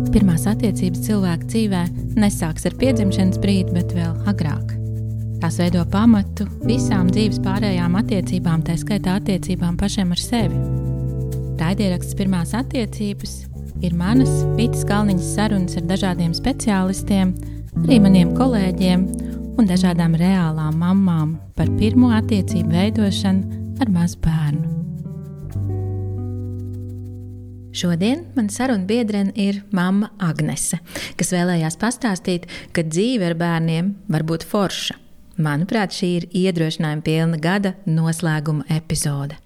Pirmās attiecības cilvēka dzīvē nesāks ar piedzimšanas brīdi, bet vēl agrāk. Tās veido pamatu visām dzīves pārējām attiecībām, tā skaitā attiecībām pašiem ar sevi. Raidieraksts Pirmās attiecības ir manas Vitas Kalniņas sarunas ar dažādiem speciālistiem, arī maniem kolēģiem un dažādām reālām mammām par pirmo attiecību veidošanu ar mazu bērnu. Šodien man saruna biedrene ir mamma Agnese, kas vēlējās pastāstīt, ka dzīve ar bērniem var būt forša. Manuprāt, šī ir iedrošinājuma pilna gada noslēguma epizode.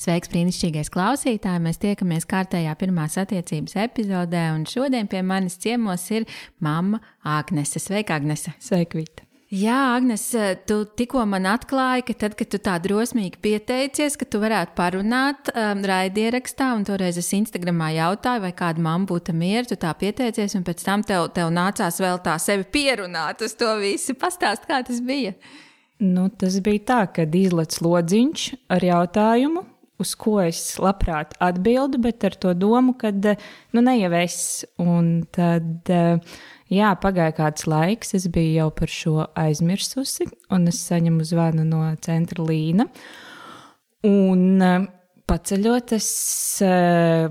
Sveiks, brīnišķīgais klausītāji! Mēs tiekamies kārtējā pirmās attiecības epizodē, un šodien pie manis ciemos ir mamma Agnese. Sveika, Agnese! Sveika, Vita! Jā, Agnes, tu tikko man atklāji, ka tad, kad tu tā drosmīgi pieteicies, ka tu varētu parunāt raidierakstā, un toreiz es Instagramā jautāju, vai kāda mamma būtu mieru, tu tā pieteicies, un pēc tam tev nācās vēl tā sevi pierunāt uz to visu. Pastāst, kā tas bija? Tas bija tā, kad izlec lodziņš ar jautājumu, uz ko es labprāt atbildu, bet ar to domu, kad ne jau es, un tad... Jā, pagāja kāds laiks, es biju jau par šo aizmirsusi, un es saņemu zvanu no centra Līna. Un paceļot,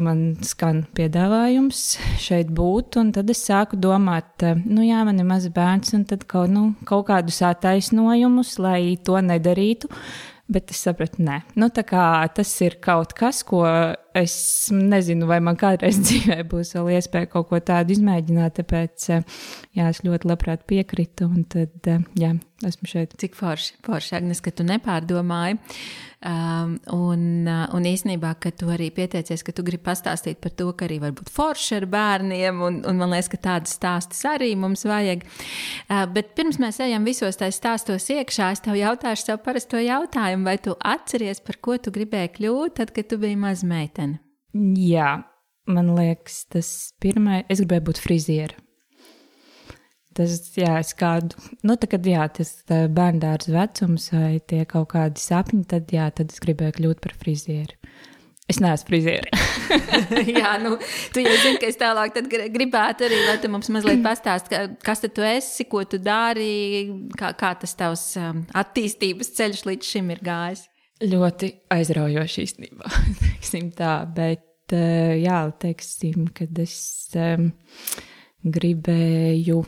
man skan piedāvājums šeit būt, un tad es sāku domāt, man ir mazs bērns, un tad kaut kādus attaisnojumus, lai to nedarītu. Bet es sapratu, nē. Tā kā tas ir kaut kas, ko es nezinu, vai man kādreiz dzīvē būs vēl iespēja kaut ko tādu izmēģināt, tāpēc, es ļoti labprāt piekritu, un tad, esmu šeit. Cik forši, Agnes, ka tu nepārdomāji, un īstenībā, ka tu arī pieteicies, ka tu gribi pastāstīt par to, ka arī var būt forši ar bērniem, un man liekas, ka tādas stāstas arī mums vajag. Bet pirms mēs ejam visos tais stāstos iekšā, es tev jautāšu savu parasto jautājumu, vai tu atceries, par ko tu gribēji kļūt, tad, kad tu biji maza meitene? Jā, man liekas, tas pirmais, es gribēju būt friziera. Tas, es kādu, kad tas bērndārs vecums vai tie kaut kādi sapņi, tad es gribēju kļūt par frizieri. Es neesmu frizieri. Jā, tu jau zini, ka es tālāk tad gribētu arī, lai tu mums mazliet pastāst, kas tad tu esi, ko tu dari, kā tas tavs attīstības ceļš līdz šim ir gājis. Ļoti aizraujoši īstenībā, teiksim tā, bet teiksim, kad es gribēju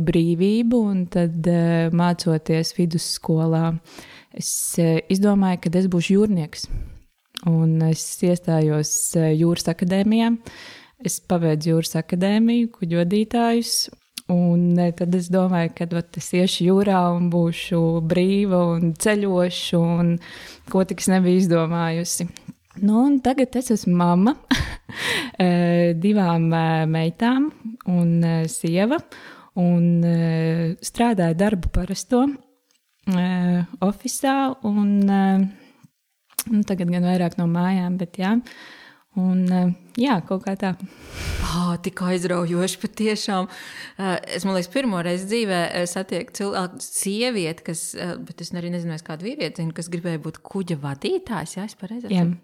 brīvību, un tad mācoties vidusskolā, es izdomāju, ka es būšu jūrnieks, un es iestājos jūras akadēmijā, es pabeidzu jūras akadēmiju, kuģodītājus, un tad es domāju, ka es iešu jūrā un būšu brīva un ceļošu, un ko tik es nebiju izdomājusi. Un tagad es esmu mamma 2 meitām un sieva, un strādāju darbu parasto ofisā, un tagad gan vairāk no mājām, bet kaut kā tā. Tik aizraujoši patiešām. Es, man liekas, pirmo reizi dzīvē satieku sievieti, bet es arī nezinu, kādu vīrieti, kas gribēja būt kuģa vadītājs, es pareizi atceros?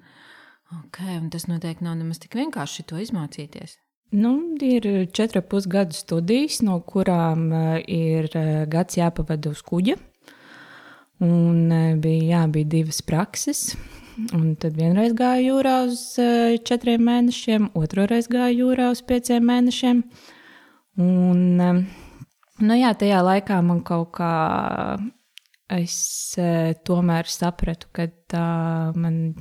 Okay, un tas noteikti nav nemaz tik vienkārši to izmācīties. Ir 4,5 gadu studijas, no kurām ir gads jāpavada uz kuģa, un bija 2 prakses. Un tad vienreiz gāju jūrā uz 4 mēnešiem, otroreiz gāju jūrā uz 5 mēnešiem. Un, tajā laikā man kaut kā es tomēr sapratu, ka man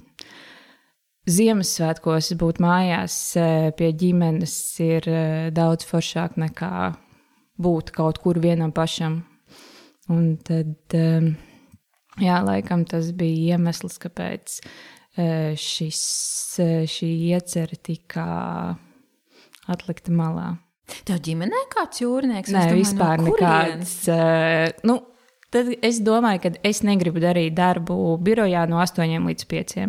Ziemassvētkos būt mājās pie ģimenes ir daudz foršāk nekā būt kaut kur vienam pašam. Un tad... laikam tas bija iemesls, kāpēc šī iecerē tika atlikta malā. Tev ģimenē kāds jūrnieks? Nē, vispār nekāds. Tad es domāju, ka es negribu darīt darbu birojā no 8 līdz 5.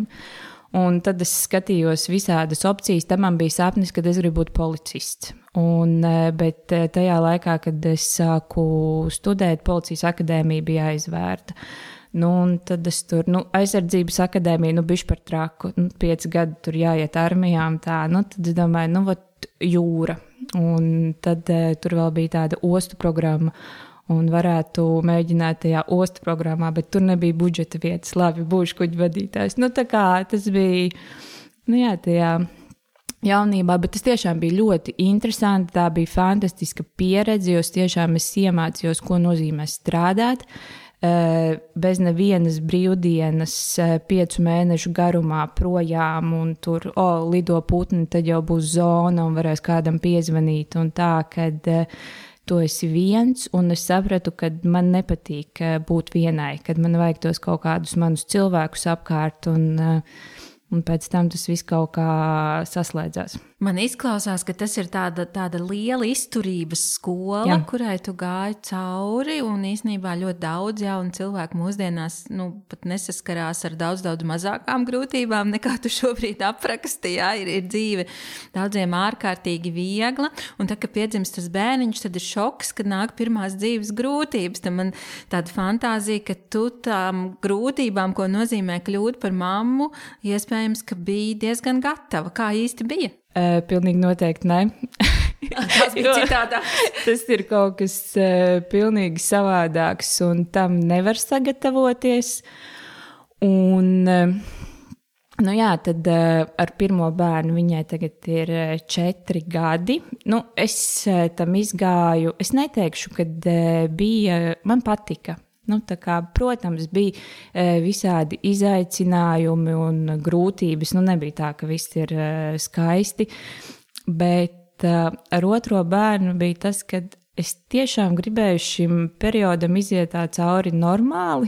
Un tad es skatījos visādas opcijas. Tam man bija sapnis, kad es gribu būt policists. Bet tajā laikā, kad es sāku studēt, policijas akadēmija bija aizvērta. Nu, un tad es tur, aizsardzības akadēmija, bišķi par traku, 5 gadi tur jāiet armijā un tā, tad es domāju, vat jūra. Un tad tur vēl bija tāda ostu programma, un varētu mēģināt tajā ostu programmā, bet tur nebija budžeta vietas, labi, būšu kuģi vadītājs. Tā kā tas bija, tajā jaunībā, bet tas tiešām bija ļoti interesanti, tā bija fantastiska pieredze, jo tiešām es iemācījos, ko nozīmē strādāt. Bez nevienas brīvdienas 5 mēnešu garumā projām un tur, lido putni, tad jau būs zona un varēs kādam piezvanīt un tā, kad tu esi viens un es sapratu, kad man nepatīk būt vienai, kad man vajag tos kaut kādus manus cilvēkus apkārt un pēc tam tas viss kaut kā saslēdzās. Man izklausās, ka tas ir tāda liela izturības skola, jā, kurai tu gāji cauri, un īstenībā ļoti daudz jaunu cilvēku mūsdienās pat nesaskarās ar daudz mazākām grūtībām, nekā tu šobrīd apraksti. Jā, ir dzīve daudziem ārkārtīgi viegla, un tad, kad piedzimst tas bērniņš, tad ir šoks, kad nāk pirmās dzīves grūtības. Tad man tāda fantāzija, ka tu tām grūtībām, ko nozīmē kļūt par mammu, iespējams, ka biji diezgan gatava. Kā īsti bija? Pilnīgi noteikti ne. Tas bija citādāk. Tas ir kaut kas pilnīgi savādāks, un tam nevar sagatavoties. Un, tad ar pirmo bērnu viņai tagad ir 4 gadi. Es tam izgāju, es neteikšu, kad man patika. Protams, bija visādi izaicinājumi un grūtības. Nebija tā, ka viss ir skaisti, bet ar otro bērnu bija tas, ka es tiešām gribēju šim periodam iziet tā cauri normāli.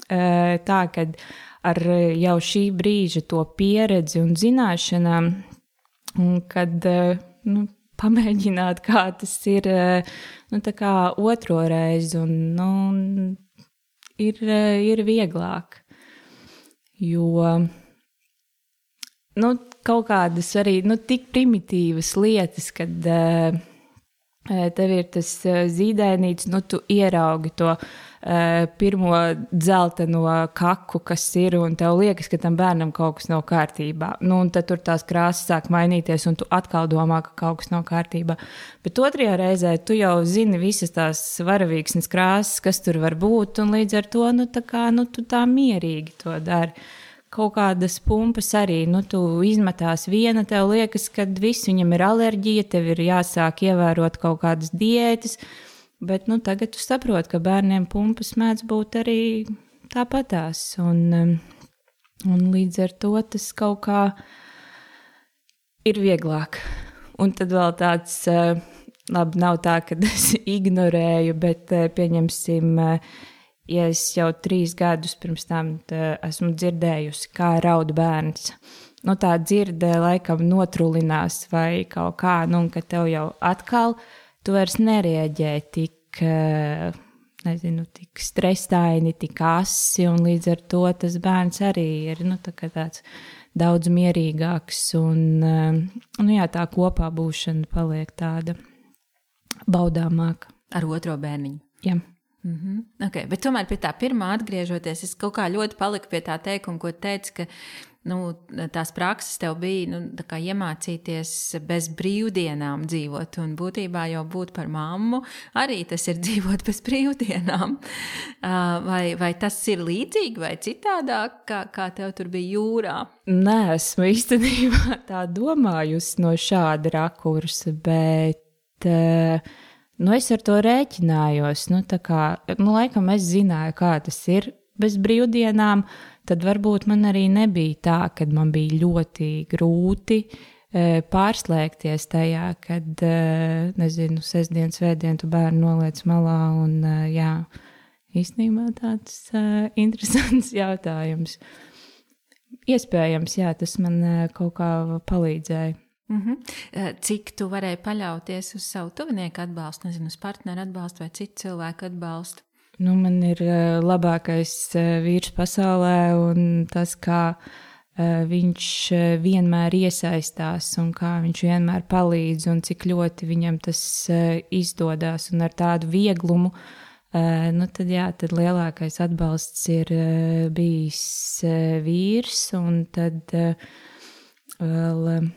Tā, kad ar jau šī brīža to pieredzi un zināšanām, un kad pamēģināt, kā tas ir otro reizi, un ir vieglāk. Jo kaut kādas arī tik primitīvas lietas, kad tev ir tas zīdainīts, tu ieraugi to pirmo dzelteno kaku, kas ir, un tev liekas, ka tam bērnam kaut kas nav kārtībā. Un tad tur tās krāsas sāk mainīties, un tu atkal domā, ka kaut kas nav kārtībā. Bet otrajā reizē tu jau zini visas tās varavīksnes krāsas, kas tur var būt, un līdz ar to, tu tā mierīgi to dari. Kaut kādas pumpas arī, tu izmetās viena, tev liekas, ka viss viņam ir alerģija, tev ir jāsāk ievērot kaut kādas diētas, bet tagad tu saproti, ka bērniem pumpas mēdz būt arī tāpatās, un līdz ar to tas kaut kā ir vieglāk. Un tad vēl tāds, labi, nav tā, ka es ignorēju, bet pieņemsim, ja es jau 3 gadus pirms tam esmu dzirdējusi, kā raud bērns. Tā dzirde laikam notrulinās vai kaut kā, un ka tev jau atkal tu vairs nereaģē tik, tik strestaini, tik asi, un līdz ar to tas bērns arī ir tāds daudz mierīgāks, un tā kopā būšana paliek tāda baudāmāka. Ar otro bērniņu? Jā. Okay, bet tomēr pie tā pirmā atgriežoties, es kaut kā ļoti paliku pie tā teikuma, ko teici, ka tās prakses tev bija tā kā iemācīties bez brīvdienām dzīvot, un būtībā jau būt par mammu arī tas ir dzīvot bez brīvdienām. Vai tas ir līdzīgi vai citādāk, kā tev tur bija jūrā? Nē, esmu īstenībā tā domājusi no šāda rakursa, bet es ar to rēķinājos. Laikam es zināju, kā tas ir bez brīvdienām, tad varbūt man arī nebija tā, kad man bija ļoti grūti pārslēgties tajā, kad, sestdien, svētdien tu bērnu noliec malā, un īstenībā tāds interesants jautājums. Iespējams, tas man kaut kā palīdzēja. Cik tu varēji paļauties uz savu tuvinieku atbalstu, uz partneru atbalstu vai citu cilvēku atbalstu? Man ir labākais vīrs pasaulē, un tas, kā viņš vienmēr iesaistās un kā viņš vienmēr palīdz un cik ļoti viņam tas izdodas un ar tādu vieglumu tad lielākais atbalsts ir bijis vīrs, un tad vēl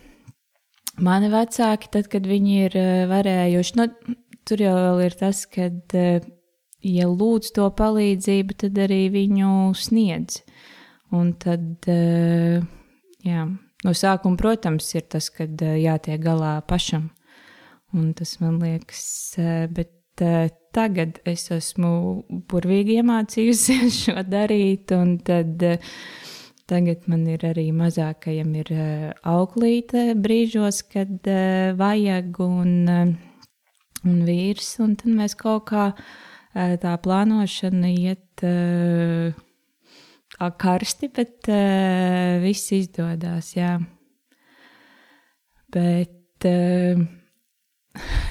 mani vecāki, tad, kad viņi ir varējuši, tur jau vēl ir tas, kad, ja lūdz to palīdzību, tad arī viņu sniedz. Un tad, no sākuma, protams, ir tas, kad jātiek galā pašam. Un tas man liekas, bet tagad es esmu burvīgi iemācījusies šo darīt, un tad tagad man ir arī mazākajam ir auklīte brīžos, kad vajag, un vīrs, un tad mēs kaut kā tā plānošana iet karsti, bet viss izdodās, jā. Bet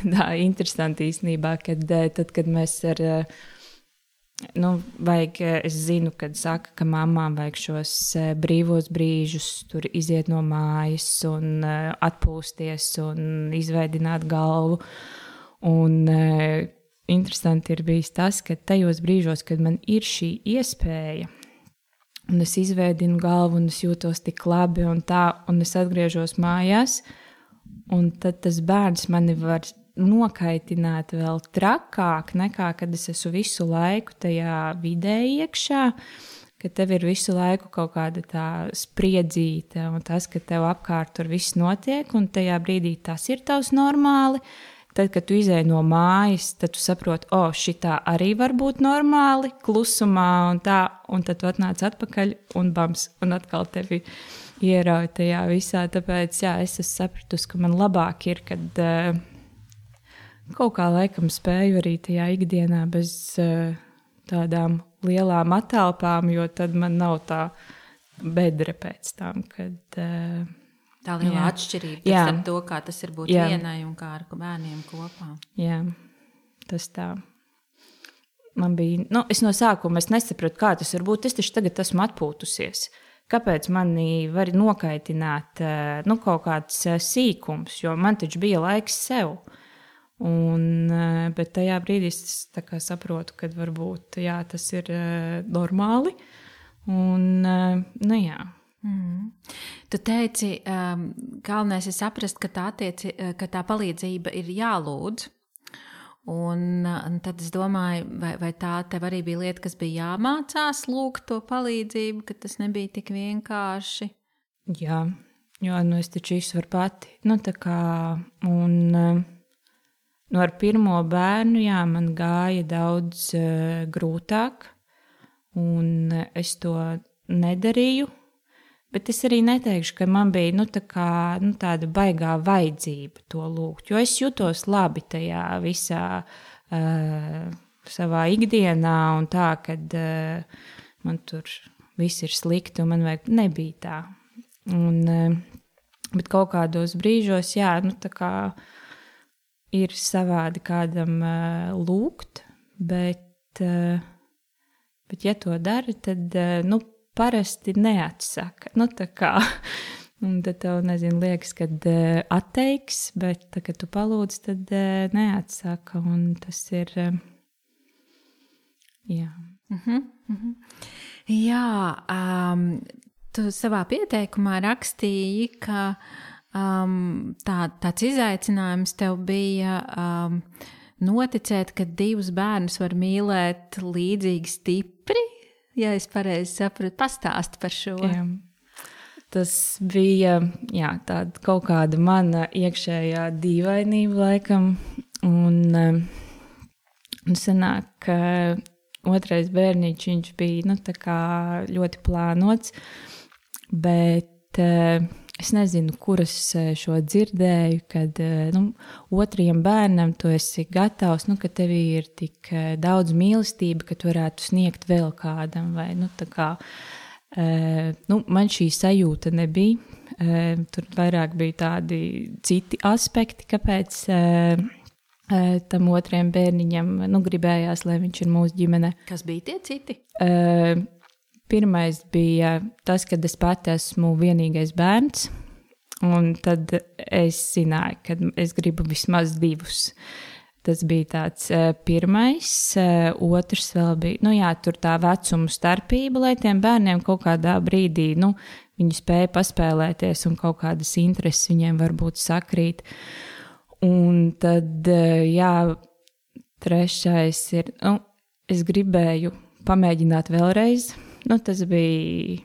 tā interesanti īstenībā, tad, kad mēs vajag, es zinu, kad saka, ka mammām vajag šos brīvos brīžus, tur iziet no mājas un atpūsties un izveidināt galvu. Un interesanti ir bijis tas, ka tajos brīžos, kad man ir šī iespēja, un es izveidinu galvu, un es jūtos tik labi un tā, un es atgriežos mājās, un tad tas bērns mani var nokaitināt vēl trakāk nekā, kad es esmu visu laiku tajā vidē iekšā, ka tev ir visu laiku kaut kāda tā spriedzīte un tas, ka tev apkārt tur viss notiek un tajā brīdī tas ir tavs normāli. Tad, kad tu izēji no mājas, tad tu saproti, šitā arī var būt normāli, klusumā un tā, un tad tu atnāc atpakaļ un bams, un atkal tevi ierauj tajā visā. Tāpēc, es esmu sapratusi, ka man labāk ir, kad kaut kā laikam spēju arī tajā ikdienā bez tādām lielām atelpām, jo tad man nav tā bedre pēc tam, kad... Tā liela atšķirība ar to, kā tas ir būt vienai un kā ar bērniem kopā. Jā, tas tā. Man bija, es no sākuma nesapratu, kā tas var būt. Es taču tagad esmu atpūtusies. Kāpēc mani var nokaitināt kaut kāds sīkums, jo man taču bija laiks sev. Bet tajā brīdī es tā kā saprotu, ka varbūt tas ir normāli. Un, jā. Tu teici, galvenais ir saprast, ka tā palīdzība ir jālūdz. Un tad es domāju, vai tā tev arī bija lieta, kas bija jāmācās lūgt to palīdzību, ka tas nebija tik vienkārši? Jā, jo es taču izvaru pati. Ar pirmo bērnu, man gāja daudz grūtāk, un es to nedarīju. Bet es arī neteikšu, ka man bija tāda baigā vajadzība to lūgt, jo es jutos labi tajā visā savā ikdienā un tā, kad man tur viss ir slikti un man vajag, nebija tā. Bet kaut kādos brīžos, ir savādi kādam lūgt, bet ja to dara, tad, parasti neatsaka. Un tad tev, liekas, kad atteiks, bet tad, kad tu palūdz, tad neatsaka. Un tas ir, jā. Jā, tu savā pieteikumā rakstīji, ka tāds izaicinājums tev bija noticēt, ka divus bērnus var mīlēt līdzīgi stipri. Ja es pareizi sapratu, pastāsti par šo. Jā. Tas bija tāda kaut kāda mana iekšējā dīvainība laikam. Un sanāk, ka otrais bērniņš, viņš bija ļoti plānots, bet es nezinu, kuras šo dzirdēju, kad otrajam bērnam tu esi gatavs, ka tev ir tik daudz mīlestība, ka tu varētu sniegt vēl kādam. Vai, man šī sajūta nebija. Tur vairāk bija tādi citi aspekti, kāpēc tam otrajam bērniņam gribējās, lai viņš ir mūsu ģimene. Kas bija tie citi? Pirmais bija tas, kad es pati esmu vienīgais bērns, un tad es zināju, ka es gribu vismaz divus. Tas bija tāds pirmais, otrs vēl bija, tur tā vecuma starpība, lai tiem bērniem kaut kādā brīdī, viņi spēja paspēlēties un kaut kādas intereses viņiem varbūt sakrīt. Un tad, trešais ir, es gribēju pamēģināt vēlreiz. Tas bija,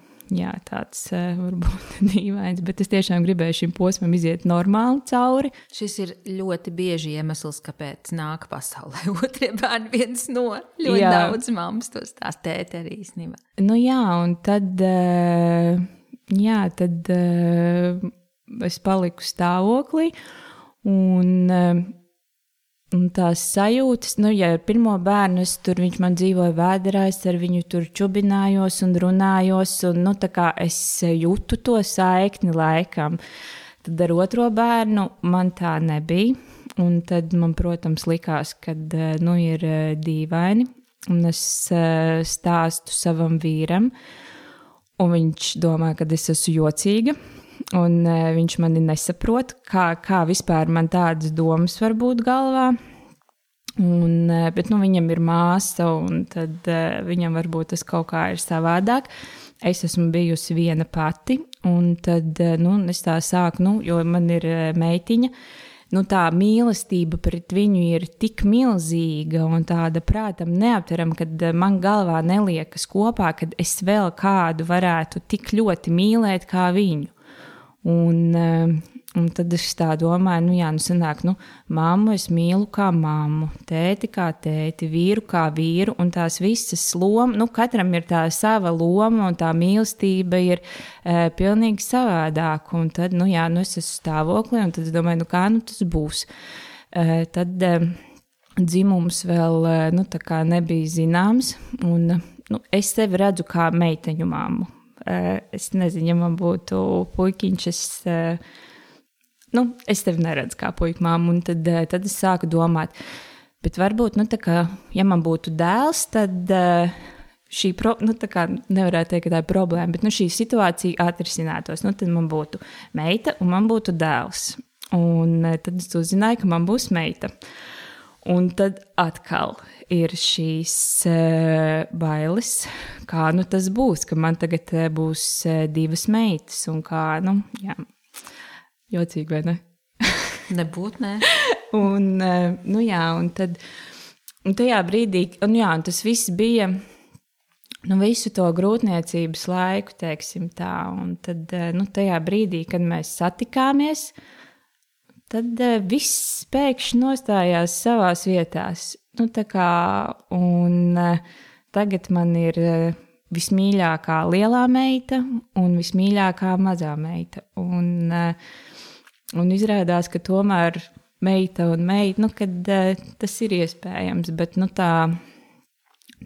tāds varbūt dīvains, bet es tiešām gribēju šim posmam iziet normāli cauri. Šis ir ļoti bieži iemesls, kāpēc nāk pasaulē otrie bērni viens no. Ļoti daudz mammas to stāst tēte arī īstenībā. Un tad, es paliku stāvoklī. Un tās sajūtas, ar pirmo bērnu viņš man dzīvoja vēderā, es ar viņu tur čubinājos un runājos, un tā kā es jūtu to saikni laikam. Tad ar otro bērnu man tā nebija, un tad man, protams, likās, kad ir dīvaini, un es stāstu savam vīram, un viņš domā, ka es esmu jocīga. Un viņš mani nesaprot, kā vispār man tādas domas var būt galvā. Bet viņam ir māsa, un tad viņam varbūt tas kaut kā ir savādāk. Es esmu bijusi viena pati, un tad es tā sāku, jo man ir meitiņa. Tā mīlestība pret viņu ir tik milzīga un tāda prātam neaptverama, kad man galvā neliekas kopā, kad es vēl kādu varētu tik ļoti mīlēt kā viņu. Un tad es tā domāju, sanāk, mammu es mīlu kā mammu, tēti kā tēti, vīru kā vīru, un tās visas lomas, katram ir tā sava loma, un tā mīlestība ir pilnīgi savādāka. Un tad, es esmu stāvoklī, un tad es domāju, kā tas būs. Tad dzimums vēl, tā kā nebija zināms, un es sevi redzu kā meiteņu mammu. Es nezinu, ja man būtu puikiņš, es tevi neredzu kā puiku mammu, un tad es sāku domāt, bet varbūt, ja man būtu dēls, tad šī, nevarētu teikt, ka tā ir problēma, bet šī situācija atrisinātos, tad man būtu meita un man būtu dēls, un tad es uzzināju, ka man būs meita. Un tad atkal ir šīs bailes, kā tas būs, ka man tagad būs divas meitas, un kā, jocīgi, vai ne? Nebūt, ne. Un tad, un tajā brīdī, un tas viss bija, visu to grūtniecības laiku, teiksim tā, un tad, tajā brīdī, kad mēs satikāmies, tad viss pēkšņi nostājās savās vietās. Tagad man ir vismīļākā lielā meita un vismīļākā mazā meita. Un izrādās, ka tomēr meita un meita, kad tas ir iespējams, bet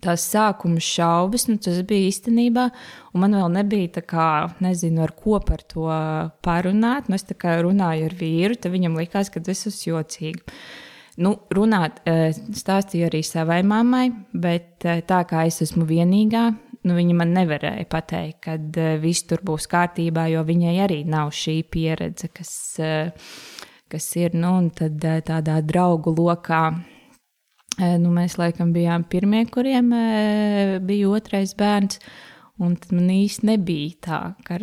tās sākuma šaubas, tas bija īstenībā, un man vēl nebija tā kā, nezinu, ar ko par to parunāt. Es tā kā runāju ar vīru, tad viņam likās, ka es esmu jocīga. Runāt stāstīju arī savai mammai, bet tā kā es esmu vienīgā, viņa man nevarēja pateikt, kad viss tur būs kārtībā, jo viņai arī nav šī pieredze, kas ir, un tad tādā draugu lokā. Mēs laikam bijām pirmie, kuriem bija otrais bērns, un tad man īsti nebija tā, ar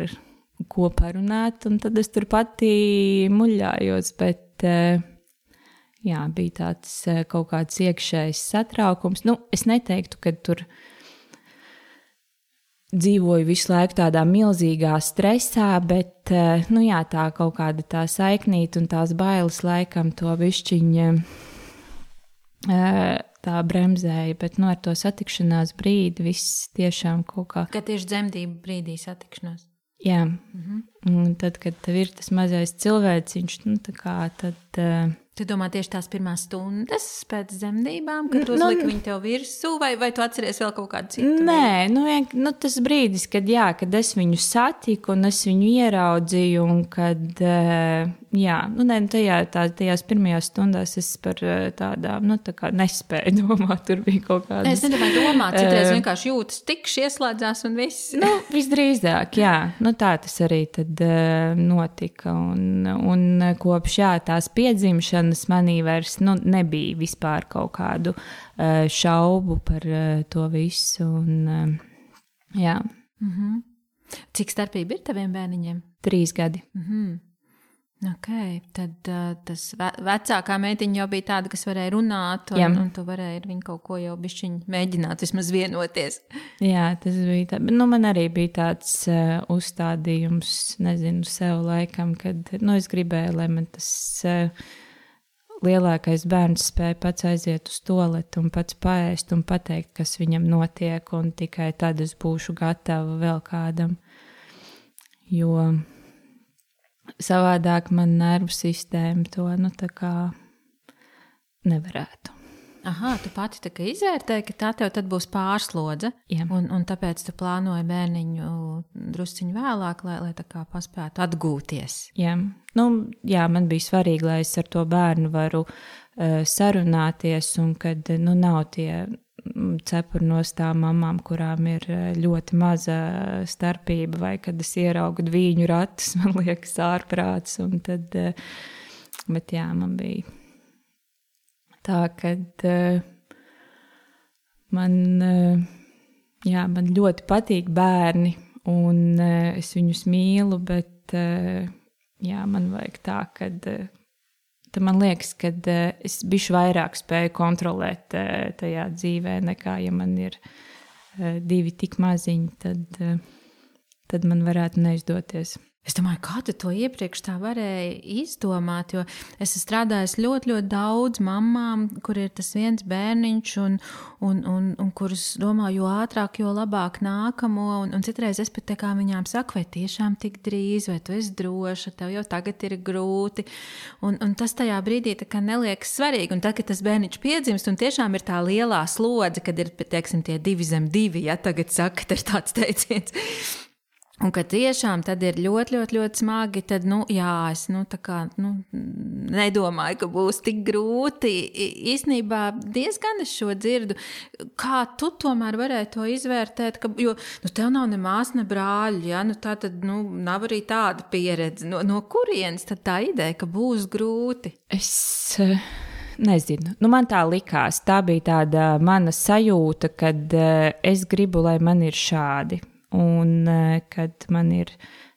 ko parunāt, un tad es tur pati muļājos, bet bija tāds kaut kāds iekšējs satraukums. Es neteiktu, ka tur dzīvoju visu laiku tādā milzīgā stresā, bet tā kaut kāda tā saiknīta un tās bailes laikam to bišķiņa tā bremzēja, bet ar to satikšanās brīdi viss tiešām kaut kā. Kad tieši dzemdību brīdī satikšanās? Jā, un tad, kad tev ir tas mazais cilvēciņš, tad Tu domā tieši tās pirmās stundas pēc dzemdībām, kad tu uzliki viņu tev virsū, vai tu atceries vēl kaut kādu citu? Nē, tas brīdis, kad es viņu satiku un es viņu ieraudzīju, un kad, tajās pirmajās stundās es par tādām, tā kā nespēju domāt, tur bija kaut kādas. Es nedomāju domāt, citreiz vienkārši jūtas tikši ieslēdzās un viss. Visdrīzāk, tā tas arī tad notika, un kopš tās piedzimšanas, ņemšanas manī vairs nebija vispār kaut kādu šaubu par to visu. Un, jā. Cik starpība ir taviem bērniņiem? 3 gadi. Ok, tad tas vecākā meitiņa jau bija tāda, kas varēja runāt, un tu varēji ar viņu kaut ko jau bišķiņ mēģināt vismaz vienoties. Jā, tas bija tā. Man arī bija tāds uzstādījums, nezinu, sev laikam, kad, es gribēju, lai man tas lielākais bērns spēja pats aiziet uz toaletu un pats paēst un pateikt, kas viņam notiek, un tikai tad es būšu gatava vēl kādam, jo savādāk man nervu sistēma to, tā kā nevarētu. Aha, tu pati tā kā izvērtēji, ka tā tev tad būs pārslodze, un tāpēc tu plānoji bērniņu drusciņu vēlāk, lai tā kā paspētu atgūties. Jā, man bija svarīgi, lai es ar to bērnu varu sarunāties, un kad, nav tie cepuri no tām mamām, kurām ir ļoti maza starpība, vai kad es ieraugu dvīņu ratus, man liekas ārprāts, un tad, bet jā, man bija tā, kad man ļoti patīk bērni, un es viņus mīlu, bet man vajag tā, kad tad man liekas, ka es bišķi vairāk spēju kontrolēt tajā dzīvē, nekā ja man ir 2 tik maziņi, tad man varētu neizdoties. Es domāju, kā tu to iepriekš tā varēji izdomāt, jo es strādāju ļoti, ļoti daudz mammām, kur ir tas viens bērniņš, un kurus domā, jo ātrāk, jo labāk nākamo, un citreiz es pat tā kā viņām saku, vai tiešām tik drīz, vai tu esi droša, tev jau tagad ir grūti, un tas tajā brīdī tā kā neliekas svarīgi, un tad, kad tas bērniņš piedzimst, un tiešām ir tā lielā slodze, kad ir, teiksim, tie 2 zem 2, ja tagad saka, tas ir tāds teiciens. Un ka tiešām tad ir ļoti, ļoti, ļoti smagi, tad, es nedomāju, ka būs tik grūti. Īstenībā diezgan es šo dzirdu. Kā tu tomēr varēji to izvērtēt, jo tev nav ne māsa, ne brāļi, ja? Tā tad, nav arī tāda pieredze. No kurienes tad tā ideja, ka būs grūti? Es nezinu. Man tā likās. Tā bija tāda mana sajūta, kad es gribu, lai man ir šādi. Un kad man ir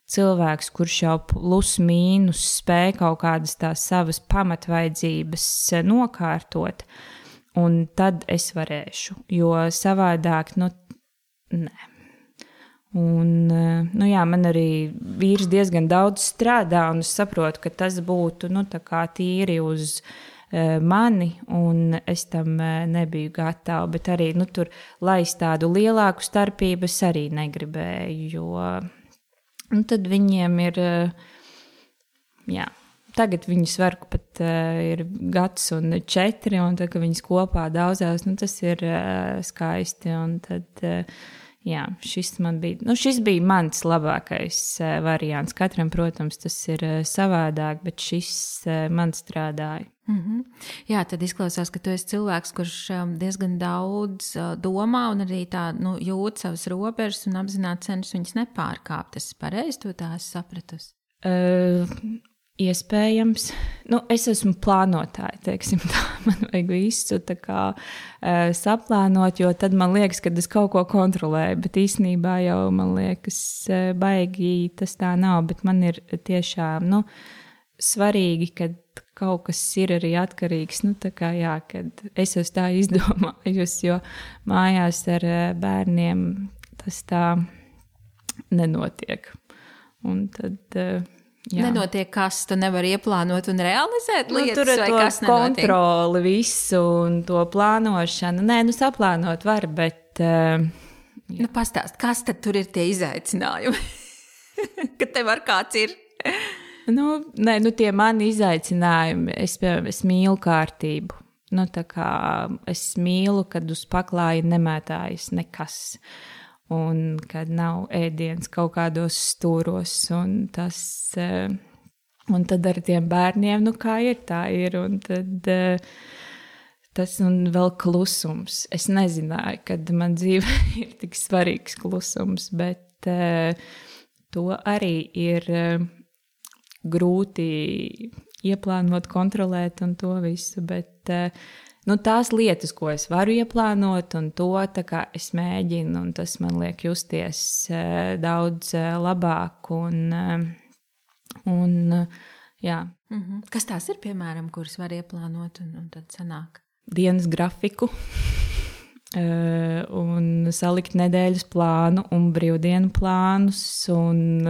cilvēks, kurš jau plus mīnus spēj kaut kādas tās savas pamatvaidzības nokārtot, un tad es varēšu, jo savādāk, nē. Un, man arī vīrs diezgan daudz strādā, un es saprotu, ka tas būtu, tā kā tīri uz mani, un es tam nebiju gatava, bet arī tur laist tādu lielāku starpību es arī negribēju, jo tad viņiem ir, tagad viņus var pat ir 1 gads un 4, un tad, kad viņas kopā daudzās, tas ir skaisti, un tad šis bija mans labākais variants. Katram, protams, tas ir savādāk, bet šis man strādāja. Jā, tad izklausās, ka tu esi cilvēks, kurš diezgan daudz domā un arī tā jūt savas robežas un apzināti cenšas viņas nepārkāpt. Es pareizi to tā esmu sapratusi? Iespējams. Es esmu plānotāja, teiksim tā. Man vajag visu tā kā saplānot, jo tad man liekas, ka es kaut ko kontrolēju, bet īstenībā jau man liekas baigi tas tā nav, bet man ir tiešām, svarīgi, kad kaut kas ir arī atkarīgs, kad es esmu tā izdomājusi, jo mājās ar bērniem tas tā nenotiek. Un tad nenotiek, kas tu nevari ieplānot un realizēt lietas, tur ir vai to kas nenotiek? Kontroli visu un to plānošanu. Nē, saplānot var, bet... Pastāst, kas tad tur ir tie izaicinājumi? Kad tev ar kāds ir? Tie mani izaicinājumi, es mīlu kārtību. Tā kā es mīlu, kad uz paklāja nemētājas nekas. Un kad nav ēdiens kaut kādos stūros, un tad ar tiem bērniem, kā ir, tā ir, un tad tas un vēl klusums. Es nezināju, kad man dzīvē ir tik svarīgs klusums, bet to arī ir grūti ieplānot, kontrolēt un to visu, bet tās lietas, ko es varu ieplānot un to tā kā es mēģinu, un tas man liek justies daudz labāk un jā. Kas tās ir, piemēram, kuras var ieplānot un tad sanāk? Dienas grafiku un salikt nedēļas plānu un brīvdienu plānus un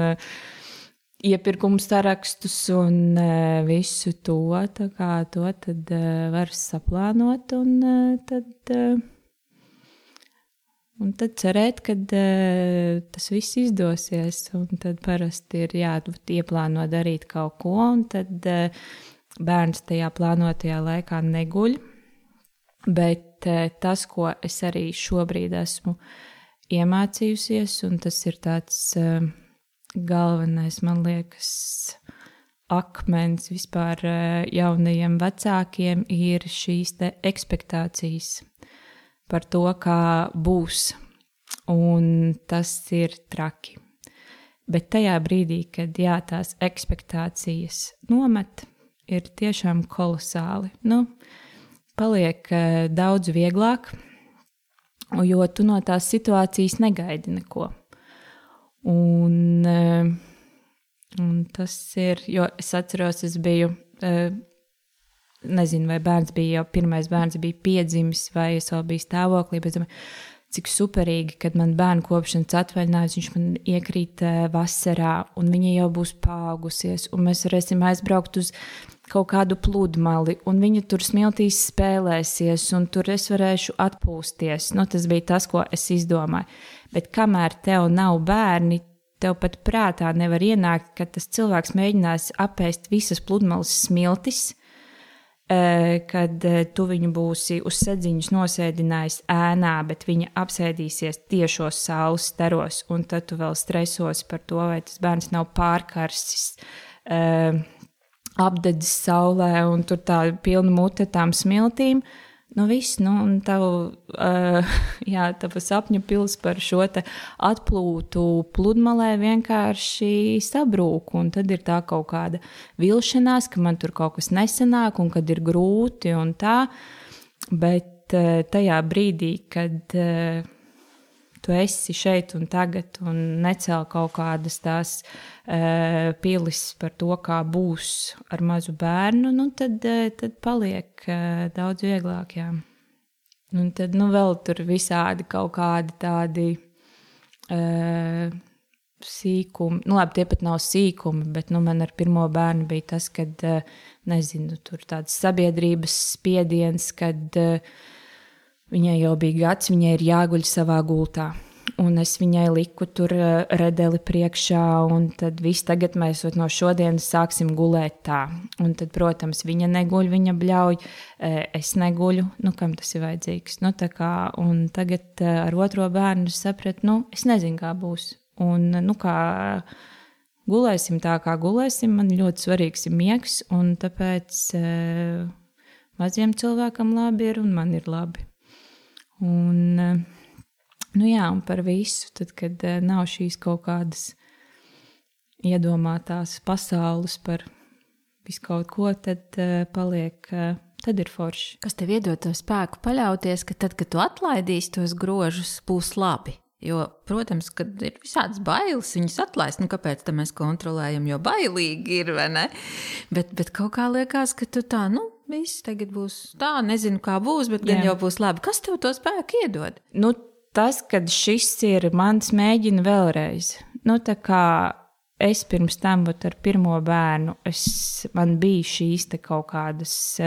iepirkumu sarakstus un visu to, tā kā to tad var saplānot un tad cerēt, ka tas viss izdosies, un tad parasti ir ieplāno darīt kaut ko, un tad bērns tajā plānotajā laikā neguļ. Bet tas, ko es arī šobrīd esmu iemācījusies, un tas ir tāds galvenais, man liekas, akmens vispār jaunajiem vecākiem, ir šīs te ekspektācijas par to, kā būs, un tas ir traki. Bet tajā brīdī, kad tās ekspektācijas nomet, ir tiešām kolosāli. Paliek daudz vieglāk, jo tu no tās situācijas negaidi neko. Un tas ir, jo es atceros, es biju, nezinu, vai pirmais bērns bija piedzimis, vai es vēl biju stāvoklī, bet cik superīgi, kad man bērnu kopšanas atvaļinājums, viņš man iekrīt vasarā, un viņa jau būs paaugusies, un mēs varēsim aizbraukt uz kaut kādu pludmali, un viņa tur smiltīs spēlēsies, un tur es varēšu atpūsties. Tas bija tas, ko es izdomāju. Bet kamēr tev nav bērni, tev pat prātā nevar ienākt, ka tas cilvēks mēģinās apēst visas pludmales smiltis, kad tu viņu būsi uz sedziņus nosēdinājis ēnā, bet viņa apsēdīsies tiešos saules staros, un tad tu vēl stresos par to, vai tas bērns nav pārkarsis, apdedzis saulē, un tur tā pilna mute tām smiltīm. Viss, un tava sapņu pils par šo te atplūtu pludmalē vienkārši sabrūk, un tad ir tā kaut kāda vilšanās, ka man tur kaut kas nesanāk, un kad ir grūti un tā, bet tajā brīdī, kad tu esi šeit un tagad un necēl kaut kādas tās pilis par to, kā būs ar mazu bērnu, tad paliek daudz vieglāk, jā. Un tad, vēl tur visādi kaut kādi tādi sīkumi, labi, tie pat nav sīkumi, bet, man ar pirmo bērnu bija tas, kad, nezinu, tur tāds sabiedrības spiediens, kad viņai jau bija gads, viņai ir jāguļ savā gultā. Un es viņai liku tur redeli priekšā, un tad viss tagad mēs no šodienas sāksim gulēt tā. Un tad, protams, viņa neguļ, viņa bļauj, es neguļu, kam tas ir vajadzīgs. Tā kā, un tagad ar otro bērnu sapratu, es nezinu, kā būs. Un, kā gulēsim tā, kā gulēsim, man ļoti svarīgs ir miegs, un tāpēc maziem cilvēkam labi ir, un man ir labi. Un, un par visu, tad, kad nav šīs kaut kādas iedomātās pasaules par visu kaut ko, tad paliek, tad ir forši. Kas tev iedod to spēku paļauties, ka tad, kad tu atlaidīsi tos grožus, būs labi? Jo, protams, kad ir visādas bailes, viņas atlaist, kāpēc tā mēs kontrolējam, jo bailīgi ir, vai ne? Bet kaut kā liekas, ka tu tā, viss tagad būs tā, nezinu, kā būs, bet gan jau būs labi. Kas tev to spēku iedod? Tas, kad šis ir mans mēģina vēlreiz. Tā kā es pirms tam ar pirmo bērnu, man bija šīs te kaut kādas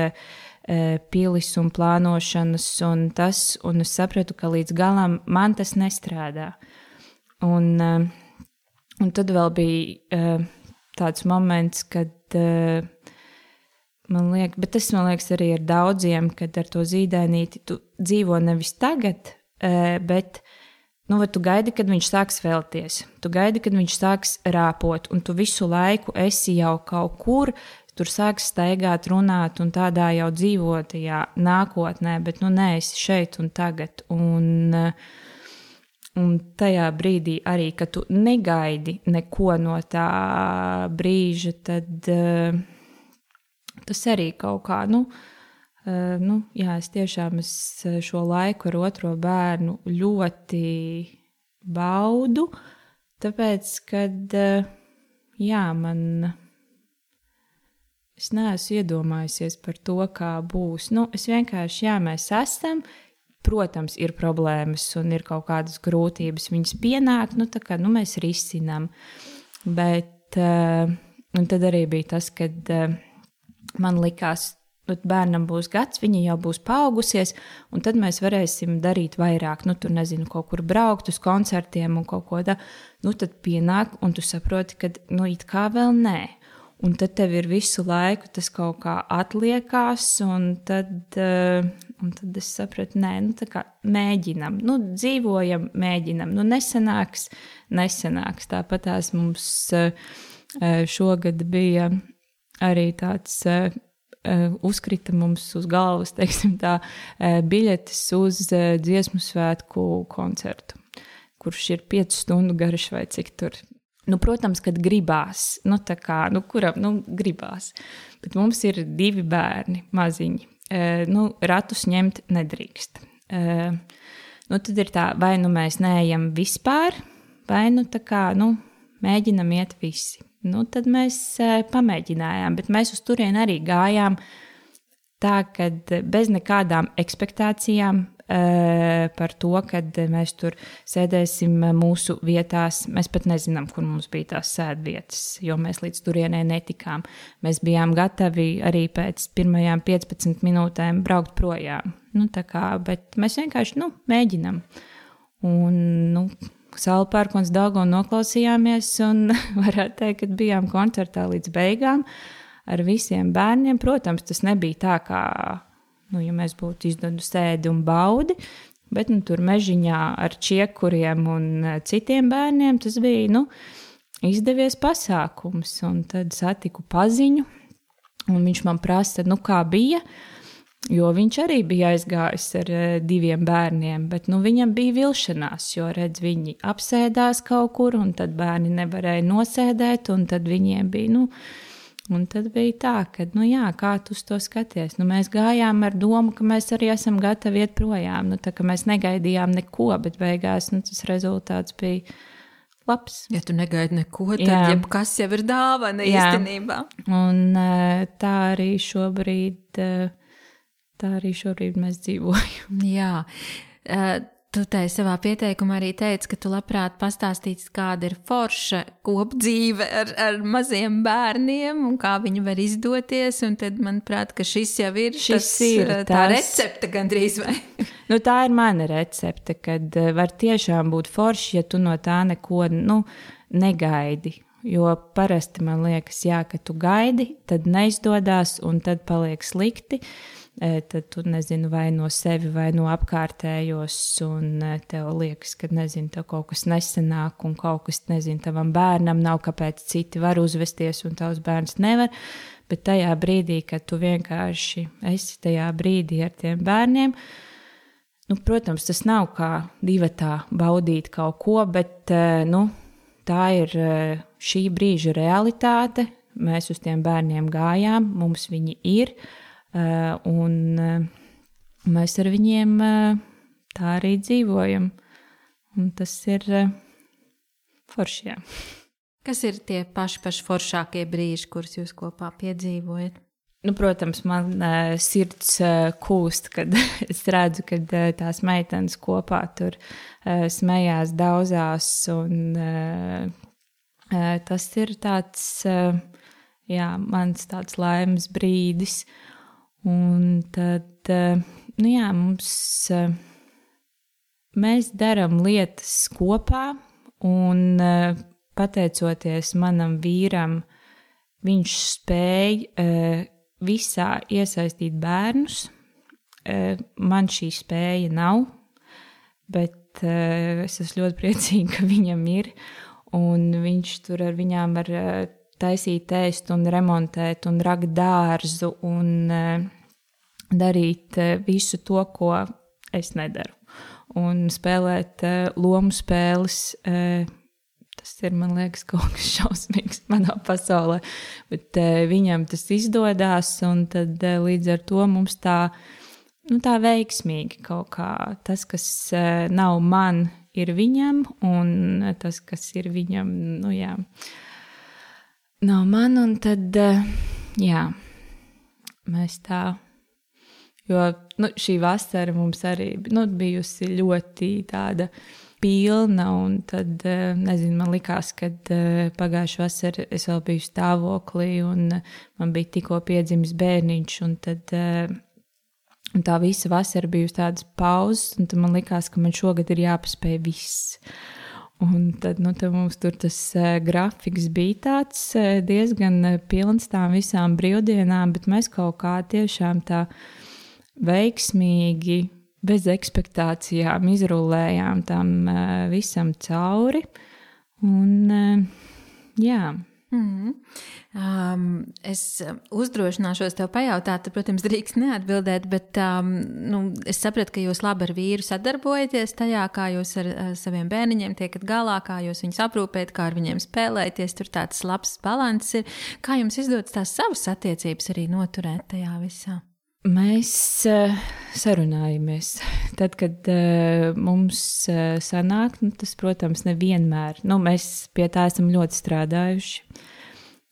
pilis un plānošanas un tas, un es sapratu, ka līdz galam man tas nestrādā. Un tad vēl bija tāds moments, kad man liekas arī ar daudziem, kad ar to zīdainīti tu dzīvo nevis tagad, bet tu gaidi, kad viņš sāks vēlties, tu gaidi, kad viņš sāks rāpot, un tu visu laiku esi jau kaut kur, tur sāks staigāt, runāt un tādā jau dzīvotajā nākotnē, bet neesi šeit un tagad. Un tajā brīdī arī, kad tu negaidi neko no tā brīža, tad tas arī kaut kā, jā, es tiešām šo laiku ar otro bērnu ļoti baudu, tāpēc, kad, jā, es neesmu iedomājusies par to, kā būs. Es vienkārši, jā, mēs esam, protams, ir problēmas un ir kaut kādas grūtības, viņas pienāk, tā kā, mēs risinām. Bet, un tad arī bija tas, kad man likās, bērnam būs gads, viņa jau būs paaugusies, un tad mēs varēsim darīt vairāk. Tur, nezinu, kaut kur braukt uz koncertiem un kaut ko tā. Tad pienāk, un tu saproti, ka, it kā vēl nē. Un tad tev ir visu laiku tas kaut kā atliekās, un tad es sapratu, nē, tā kā mēģinam, dzīvojam, mēģinam. Nesanāks. Tāpat tās mums šogad bija arī tāds... uzkrita mums uz galvas, teiksim tā, biļetes uz dziesmu svētku koncertu, kurš ir 5 stundu garš vai cik tur. Protams, kad gribās, kuram gribās, bet mums ir 2 bērni maziņi, ratus ņemt nedrīkst. Tad ir tā, vai mēs neejam vispār, vai tā kā, mēģinam iet visi. Tad mēs pamēģinājām, bet mēs uz turieni arī gājām tā, kad bez nekādām ekspektācijām par to, kad mēs tur sēdēsim mūsu vietās. Mēs pat nezinām, kur mums bija tās sēdvietas, jo mēs līdz turienei netikām. Mēs bijām gatavi arī pēc pirmajām 15 minūtēm braukt projām. Bet mēs vienkārši, mēģinam. Un, Saula Pērkons Daugava noklausījāmies un varētu teikt, ka bijām koncertā līdz beigām ar visiem bērniem. Protams, tas nebija tā, kā, ja mēs būtu izdevuši sēdi un baudi, bet tur mežiņā ar čiekuriem un citiem bērniem tas bija, izdevies pasākums. Un tad satiku paziņu un viņš man prasa, kā bija. Jo viņš arī bija aizgājis ar 2 bērniem, bet viņam bija vilšanās, jo viņi apsēdās kaut kur, un tad bērni nevarēja nosēdēt, un tad viņiem bija, un tad bija tā, ka, kā tu uz to skaties? Mēs gājām ar domu, ka mēs arī esam gatavi iet projām, tā ka mēs negaidījām neko, bet beigās, tas rezultāts bija labs. Ja tu negaidi neko, tad jebkas jau ir dāvana īstenībā. Un tā arī šobrīd mēs dzīvojam. Jā, tu savā pieteikumā arī teici, ka tu labprāt pastāstīsi, kāda ir forša kopdzīve ar maziem bērniem un kā viņi var izdoties. Un tad, manuprāt, ka šis jau ir, tā recepte gandrīz vai? Tā ir mana recepte, kad var tiešām būt forši, ja tu no tā neko negaidi. Jo parasti man liekas, ka tu gaidi, tad neizdodas un tad paliek slikti. Tad tu nezinu vai no sevi vai no apkārtējos un tev liekas, ka tev kaut kas nesanāk un kaut kas, tavam bērnam nav, kāpēc citi var uzvesties un tavs bērns nevar. Bet tajā brīdī, kad tu vienkārši esi tajā brīdī ar tiem bērniem, protams, tas nav kā divatā baudīt kaut ko, bet tā ir šī brīža realitāte. Mēs uz tiem bērniem gājām, mums viņi ir. Un mēs ar viņiem tā arī dzīvojam. Un tas ir forši, jā. Kas ir tie paši foršākie brīži, kurus jūs kopā piedzīvojat? Protams, man sirds kūst, kad es redzu, kad tās meitenes kopā tur smējās, daudzās. Un tas ir tāds, mans tāds laimes brīdis. Un tad, mēs darām lietas kopā, un pateicoties manam vīram, viņš spēja visā iesaistīt bērnus. Man šī spēja nav, bet es esmu ļoti priecīga, ka viņam ir, un viņš tur ar viņām var taisīt ēst un remontēt un rakt dārzu un darīt visu to, ko es nedaru. Un spēlēt lomu spēles tas ir, man liekas, kaut kas šausmīgs manā pasaulē. Bet viņam tas izdodās, un tad līdz ar to mums tā veiksmīgi kaut kā tas, kas nav man, ir viņam, un tas, kas ir viņam, nav man, un tad, mēs tā, jo šī vasara mums arī bijusi ļoti tāda pilna, un tad, nezinu, man likās, kad pagājušā vasara es vēl biju stāvoklī, un man bija tikko piedzimis bērniņš, un tad un tā visa vasara bijusi tādas pauzes, un tad man likās, ka man šogad ir jāpaspēj viss. Un tad mums tur tas grafiks bija tāds diezgan pilns tām visām brīvdienām, bet mēs kaut kā tiešām tā veiksmīgi, bez ekspektācijām izrullējām tam visam cauri. Un jā. Es uzdrošināšos tev pajautāt, protams, drīkst neatbildēt, bet es sapratu, ka jūs labi ar vīru sadarbojaties tajā, kā jūs ar saviem bērniņiem tiekat galā, kā jūs viņus aprūpējat, kā ar viņiem spēlēties, tur tāds labs balanss ir. Kā jums izdodas tās savas attiecības arī noturēt tajā visā? Mēs sarunājamies. Tad, kad mums sanāk, tas, protams, nevienmēr. Mēs pie tā esam ļoti strādājuši.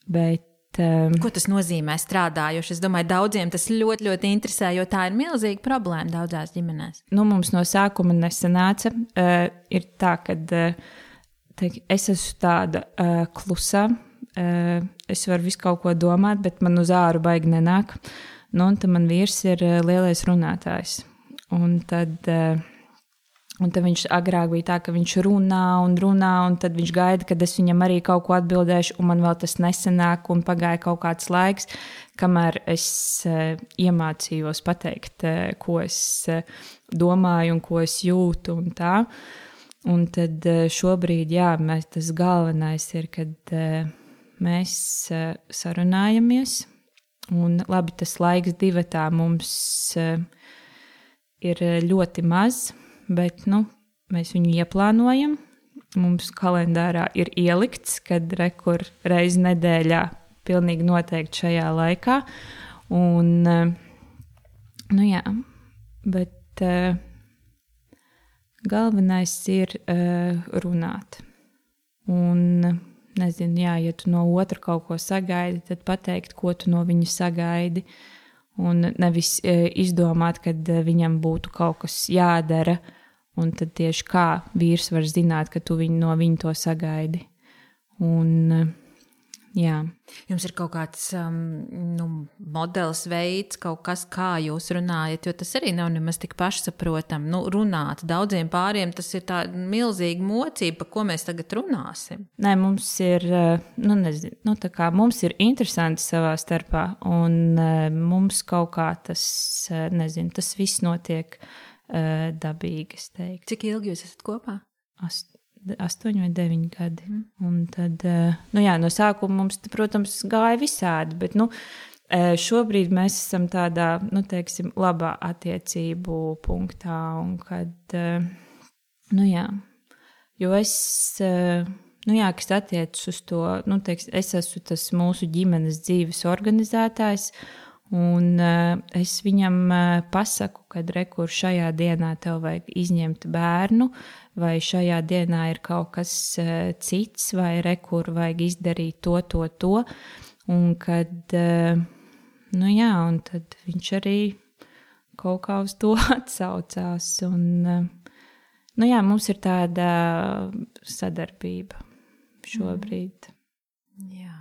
Bet, ko tas nozīmē strādājuši? Es domāju, daudziem tas ļoti, ļoti interesē, jo tā ir milzīga problēma daudzās ģimenēs. Mums no sākuma nesanāca. Ir tā, ka es esmu tāda klusā. Es varu visu kaut ko domāt, bet man uz āru baigi nenāk. Un tad man vīrs ir lielais runātājs. Un tad viņš agrāk bija tā, ka viņš runā, un tad viņš gaida, kad es viņam arī kaut ko atbildēšu, un man vēl tas nesanāk, un pagāja kaut kāds laiks, kamēr es iemācījos pateikt, ko es domāju un ko es jūtu un tā. Un tad šobrīd, tas galvenais ir, kad mēs sarunājamies. Un labi, tas laiks divatā mums ir ļoti maz, bet mēs viņu ieplānojam. Mums kalendārā ir ielikts, kad reizi nedēļā pilnīgi noteikti šajā laikā. Un, bet galvenais ir runāt. Un nezinu, ja tu no otra kaut ko sagaidi, tad pateikt, ko tu no viņa sagaidi. Un nevis izdomāt, kad viņam būtu kaut kas jādara, un tad tieši kā vīrs var zināt, ka tu no viņa to sagaidi. Un, jā. Jums ir kaut kāds modelis, veids, kaut kas, kā jūs runājat, jo tas arī nav nemaz tik pašsaprotam. Runāt daudziem pāriem, tas ir tā milzīga mocība, par ko mēs tagad runāsim. Nē, mums ir, tā kā mums ir interesanti savā starpā, un mums kaut kā tas, tas viss notiek dabīgi, es teiktu. Cik ilgi jūs esat kopā? 8 vai 9 gadi. Un tad, no sākuma mums, protams, gāja visādi, bet, šobrīd mēs esam tādā, labā attiecību punktā, un kad, jo es, kas attiecas uz to, es esmu tas mūsu ģimenes dzīves organizētājs, un es viņam pasaku, kad rekur šajā dienā tev vajag izņemt bērnu, vai šajā dienā ir kaut kas cits, vai rekur vajag izdarīt to. Un kad, un tad viņš arī kaut kā uz to atsaucās. Un, mums ir tāda sadarbība šobrīd. Jā.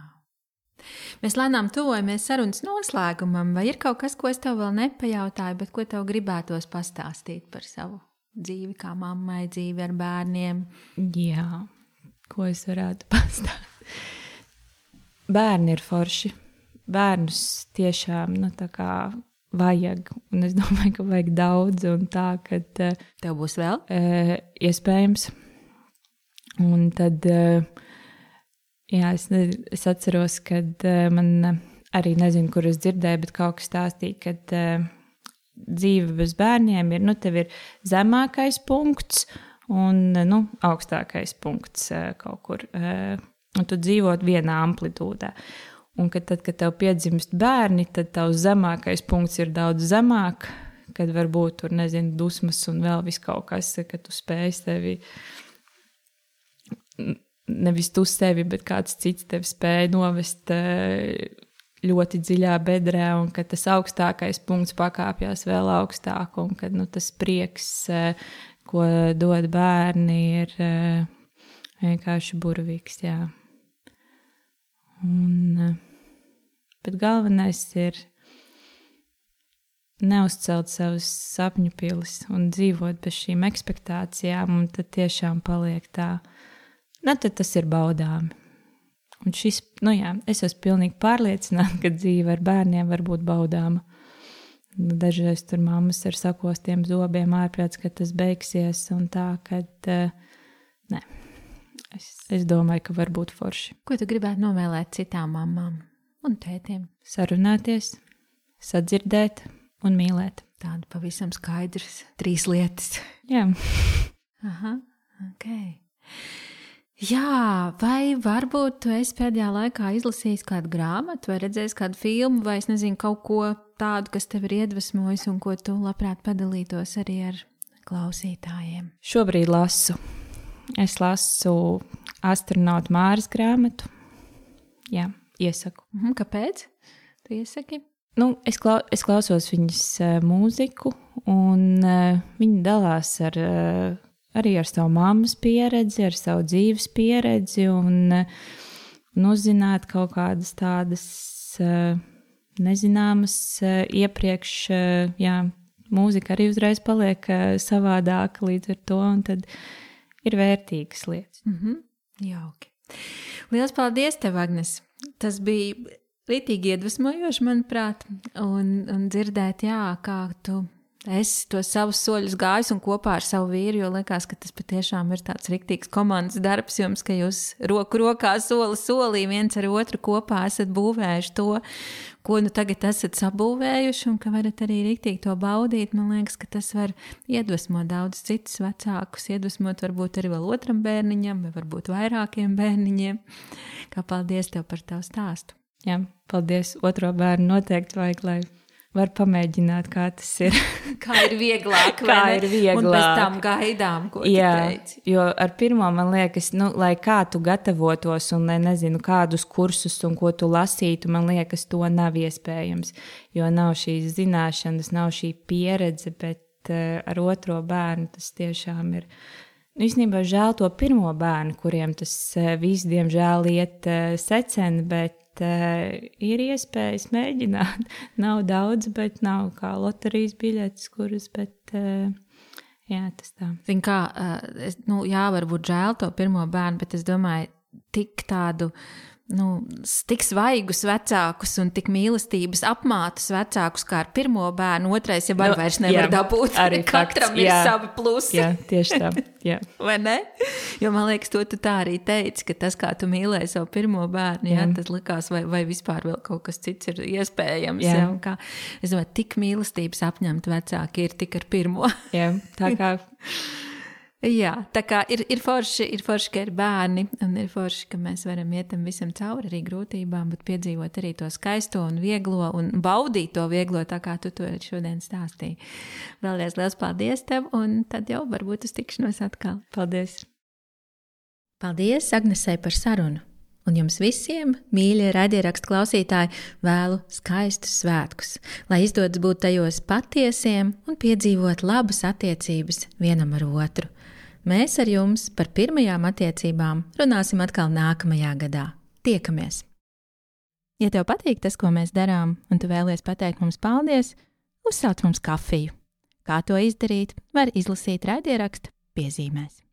Mēs lēnām tuvojamies sarunas noslēgumam, vai ir kaut kas, ko es tev vēl nepajautāju, bet ko tev gribētos pastāstīt par savu dzīvi, kā mammai, dzīvi ar bērniem? Jā, ko es varētu pastāstīt? Bērni ir forši. Bērnus tiešām, vajag, un es domāju, ka vajag daudz, un tā, kad... Tev būs vēl? Iespējams. Un tad... Jā, es atceros, kad man arī nezinu, kur es dzirdēju, bet kaut kas stāstīja, kad dzīve bez bērniem ir, tev ir zemākais punkts, un augstākais punkts kaut kur. Un tu dzīvot vienā amplitūdā. Un kad tev piedzimst bērni, tad tavs zemākais punkts ir daudz zemāk, kad varbūt tur, dusmas un vēl viss kaut kas, ka tu spēj sevi, nevis tu sevi, bet kāds cits tevi spēj novest ļoti dziļā bedrē, un kad tas augstākais punkts pakāpjās vēl augstāk, un kad tas prieks, ko dod bērni, ir vienkārši burvīgs, jā. Bet galvenais ir neuzcelt savus sapņu pilis un dzīvot bez šīm ekspektācijām, un tad tiešām paliek tā. Tad tas ir baudāmi. Un šis, es esmu pilnīgi pārliecināta, ka dzīve ar bērniem var būt baudāma. Dažreiz tur mammas ar sakostiem zobiem ārprāts, ka tas beigsies, un tā, kad nē. Es domāju, ka var būt forši. Ko tu gribētu novēlēt citām mamām un tētiem? Sarunāties, sadzirdēt un mīlēt. Tāda pavisam skaidrs 3 lietas. Jā. Aha, ok. Jā, vai varbūt tu esi pēdējā laikā izlasījis kādu grāmatu vai redzējis kādu filmu vai es nezinu kaut ko tādu, kas tev ir iedvesmojis un ko tu labprāt padalītos arī ar klausītājiem? Šobrīd lasu. Es lasu astronautu Māras grāmatu. Jā, iesaku. Kāpēc? Tu iesaki? Es klausos viņas mūziku, un viņa dalās arī ar savu mammas pieredzi, ar savu dzīves pieredzi, un uzzināt kaut kādas tādas nezināmas iepriekš, jā, mūzika arī uzreiz paliek savādāka līdz ar to, un tad ir vērtīgas lietas. Jauki. Lielas paldies tev, Agnes. Tas bija rītīgi iedvesmojoši, manuprāt, un dzirdēt, jā, kā tu esi tos savus soļus gājis un kopā ar savu vīru, jo liekas, ka tas patiešām ir tāds riktīgs komandas darbs jums, ka jūs roku rokā soli solī viens ar otru kopā esat būvējuši to, ko tagad esat sabūvējuši un ka varat arī riktīgi to baudīt. Man liekas, ka tas var iedvesmot daudz citus vecākus, iedvesmot varbūt arī vēl otram bērniņam vai varbūt vairākiem bērniņiem. Kā paldies tev par tavu stāstu. Jā, paldies. Otro bērnu noteikti vajag, lai var pamēģināt, kā tas ir. Kā ir vieglāk, vai ne? Ir vieglāk. Un pēc tam gaidām, ko tu teici. Jo ar pirmo, man liekas, lai kā tu gatavotos un nezinu, kādus kursus un ko tu lasītu, man liekas, to nav iespējams. Jo nav šīs zināšanas, nav šī pieredze, bet ar otro bērnu tas tiešām ir. Īstenībā žēl to pirmo bērnu, kuriem tas viss, diemžēl, iet seceni, bet ir iespējas mēģināt. Nav daudz, bet nav kā loterijas biļetes, kuras, bet jā, tas tā. Zin kā, jā, varbūt žēl to pirmo bērnu, bet es domāju, tik tādu, tik svaigus vecākus un tik mīlestības apmātus vecākus kā ar pirmo bērnu, otrais jau vairs nevar dabūt. Arī katram fakts, ir savi plusi. Jā, tieši tā. Jā. Vai ne? Jo man liekas, to tu tā arī teici, ka tas, kā tu mīlēji savu pirmo bērnu, jā, tas likās, vai vispār vēl kaut kas cits ir iespējams. Jā. Kā, es domāju, tik mīlestības apņemt vecāki ir tik ar pirmo. Jā, tā kā... Jā, tā kā ir forši, ka ir bērni, un ir forši, ka mēs varam iet tam visam cauri arī grūtībām, bet piedzīvot arī to skaisto un vieglo un baudīt to vieglo, tā kā tu to šodien stāstīji. Vēlreiz liels paldies tev, un tad jau varbūt uz tikšanos atkal. Paldies! Paldies Agnesei par sarunu, un jums visiem, mīļie raidierakstu klausītāji, vēlu skaistus svētkus, lai izdodas būt tajos patiesiem un piedzīvot labas attiecības vienam ar otru. Mēs ar jums par pirmajām attiecībām runāsim atkal nākamajā gadā. Tiekamies! Ja tev patīk tas, ko mēs darām, un tu vēlies pateikt mums paldies, uzsauc mums kafiju. Kā to izdarīt, var izlasīt raidierakstu piezīmēs.